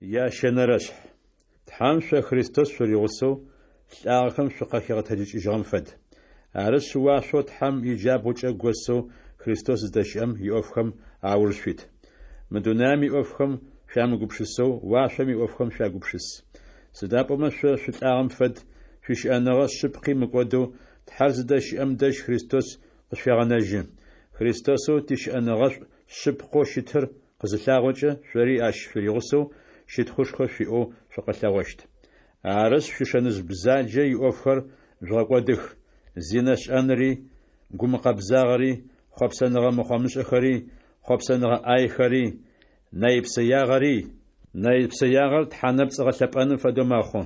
Ящэнэрэшъхь. Тхьэм шъо Христос шъуригъусэу лӏагъэхэм шъукъахигъэтэджыкӏыжьыгъэм фэд. Арышъ, уашъоу Тхьэм иджабгъукӏэ госэу Христос зыдэщыӏэм иӏофхэм ауж шъуит. Мы дунаем иӏофхэм шъуямыгупшысэу, уашъом иӏофхэм шъуягупшыс. Сыда пӏомэ шъо шъулӏагъэм фэд, шъуищыӏэныгъэ шъыпкъи мыкӏодэу, Тхьэр зыдэщыӏэм дэжь Христос къышъуегъэнэжьы. Христосэу тищыӏэныгъэшӏу шъыпкъэу щытыр къызылъагъокӏэ, шъори ащ шъуригъусэу щытхъушхо шъуиӏэу шъукъэлъэгъощт. Арышъ, шъуишэныжъ бзаджэ иӏофхэр жъугъэкӏодых: зинэ шӏэнри, гумыкъэбзагъэри, хъопсэныгъэ мыхъомышӏэхэри, хъопсэныгъэ ӏайхэри, нэйпсэягъэри. Нэйпсэягъэр тхьэнэпцӏ гъэлъэпӏэным фэдэу мэхъу.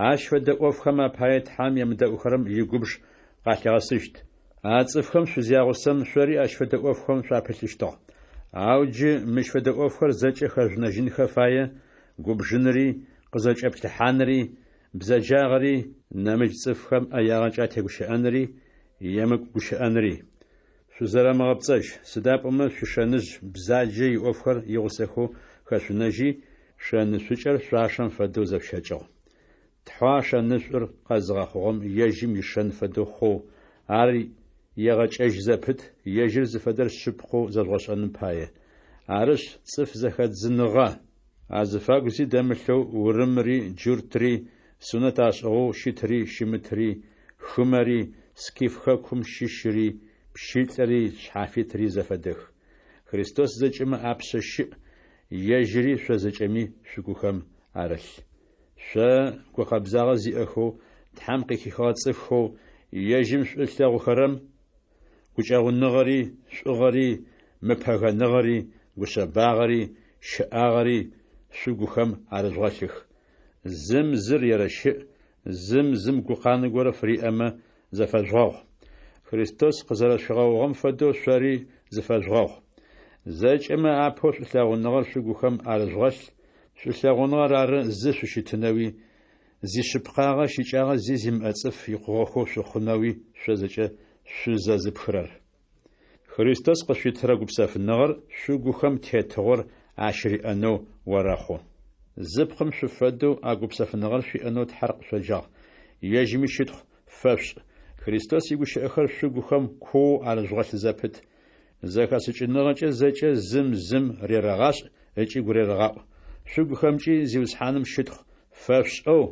Ащ фэдэ ӏофхэм апае Тхьэм емыдэӏухэрэм игубж къалъигъэсыщт. А цӏыфхэм шъузягъусэм, шъори ащ фэдэ ӏофхэм шъуапылъыщтыгъ. Ау джы мыщ фэдэ ӏофхэр зэкӏэ хэжъунэжьынхэ фае: губжынри, къызэкӏэплъыхьанри, бзэджагъэри, нэмыкӏ цӏыфхэм ӏэягъэкӏэ атегущыӏэнри, емыкӏу гущыӏэнри. Шъузэрэмыгъэпцӏэжь, сыда пӏомэ шъуишэныжъ бзаджэ иӏофхэр игъусэхэу хэшъунэжьи, шэнышӏукӏэр шъуашэм фэдэу зэшъущэкӏыгъ. Тхьэу а шэнышӏур къэзыгъэхъугъэм ежьым ишэн фэдэу хъоу, ар егъэкӏэжь зэпыт, ежьыр зыфэдэр шъыпкъэу зэжъугъэшӏэным пае. Арышъ, цӏыф зэхэдзыныгъэ азыфагу зи дэмылъэу урымри джуртри, сунэт ашӏыгъэу щытри щымытри, хымэри, скиф хэкум щыщри, пщылӏри шъхьафитри зэфэдэх. Христос зэкӏэмэ апшъэ щыӏ, ежьыри шъо зэкӏэми шъугухэм арылъ. Шъо, гукъэбзагъэ зиӏэхэу, Тхьэм къыхихыгъэ цӏыфхэу, ежьым шӏу ылъэгъухэрэм, гукӏэгъуныгъэри, шӏугъэри, мыпэгэныгъэри, гушъэбагъэри, щэӏагъэри шъугухэм арыжъугъэлъых. Зым зыр ерэщыӏ, зым зым гукъанэ горэ фыриӏэмэ, зэфэжъугъэгъу. Христос къызэрэшъуфигъэгъугъэм фэдэу шъори зыфэжъугъэгъу. Зэкӏэмэ апэу шӏулъэгъуныгъэр шъугухэм арыжъугъэлъ, шӏулъэгъуныгъэр ары зы шъущытынэуи, зишъыпкъагъэ щыкӏагъэ зи зимыӏэ цӏыф икъугъэхэу шъухъунэуи шъо зэкӏэ шъузэзыпхырэр. Христос къышъуитырэ гупсэфыныгъэр шъугухэм тетыгъор ащыриӏэнэу орэхъу. Зы пкъым шъуфэдэу а гупсэфыныгъэр шъуиӏэнэу Тхьэр къышъоджагъ. Ежьыми щытхъу фэшъушӏ. Христос игущыӏэхэр шъугухэм куоу арыжъугъэлъ зэпыт. Зэхэшӏыкӏыныгъэкӏэ зэкӏэ зым зым рерэгъашӏ ыкӏи гурерэгъаӏу. Шъугухэмкӏи Зиусхьаным щытхъу фэшъушӏэу,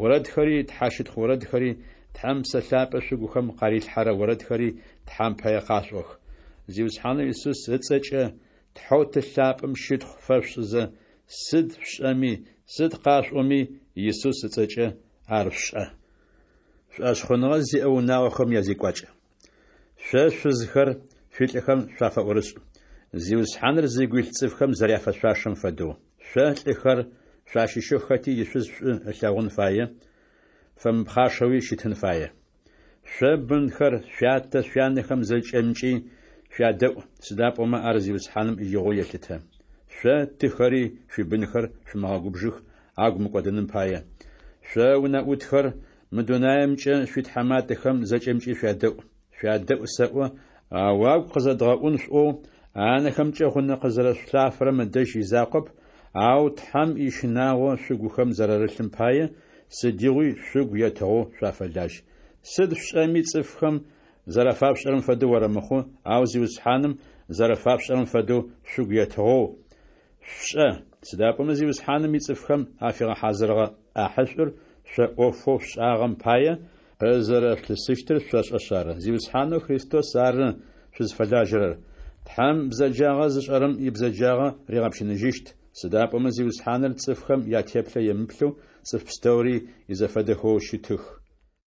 орэдхэри, тхьэщытхъу орэдхэри, Тхьэм Псэ Лъапӏэ шъугухэм къарилъхьэрэ орэдхэри Тхьэм пае къашъуӏох. Зиусхьанэу Исус ыцӏэкӏэ Тхьэу Ты лъапӏэм щытхъу фэшъушӏызэ, сыд шъушӏэми, сыд къашъуӏоми, Исус ыцӏэкӏэ ар шъушӏэ. Шӏошъхъуныгъэ зиӏэ унагъохэм язекӏуакӏ. Шъо, шъузхэр, шъуилӏхэм шъуафэӏорышӏ, Зиусхьаныр зыгу илъ цӏыфхэм зэряфэшъуашэм фэдэу. Шъо, лӏыхэр, шъуащыщэу хэти ишъуз шӏу ылъэгъун фае, фэмыпхъашэуи щытын фае. Шъо, бынхэр, шъуятэ, шъуянэхэм зэкӏэмкӏи шъуядэӏу, сыда пӏомэ ар Зиусхьаным игъоу елъытэ. Шъо, тыхэри, шъуибынхэр шъумыгъэгубжых, агу мыкӏодыным пае. Шъо, унэӏутхэр, мы дунаемкӏэ шъуитхьаматэхэм зэкӏэмкӏи шъуядэӏу. Шъуядэӏу сэӏо, ау агу къызэдгъэӏун шъуӏоу, анэхэмкӏэ гъунэ къызэрэшъулъафэрэм ыдэжь изакъоп, ау Тхьэм ищынагъо шъугухэм зэрарылъым пае, сыдигъуи шъугу етыгъэу шъуафэлажь. Сыд шъушӏэми, цӏыфхэм зэрафашъушӏэрэм фэдэу орэмыхъу, ау Зиусхьаным зэрэфашъушӏэрэм фэдэу шъугу етыгъэу шъушӏэ, сыда пӏомэ Зиусхьаным ицӏыфхэм афигъэхьазырыгъэ ӏахьышӏур шъо ӏофэу шъушӏагъэм пае къызэрэшъулъысыщтыр шъошӏэшъ ары. Зиусхьанэу Христос ары шъузфэлажьэрэр. Тхьэм бзэджагъэ зышӏэрэм ибзэджагъэ ригъэпщыныжьыщт, сыда пӏомэ Зиусхьаныр цӏыфхэм ятеплъэ емыплъэу цӏыф пстэури изэфэдэхэу щытых.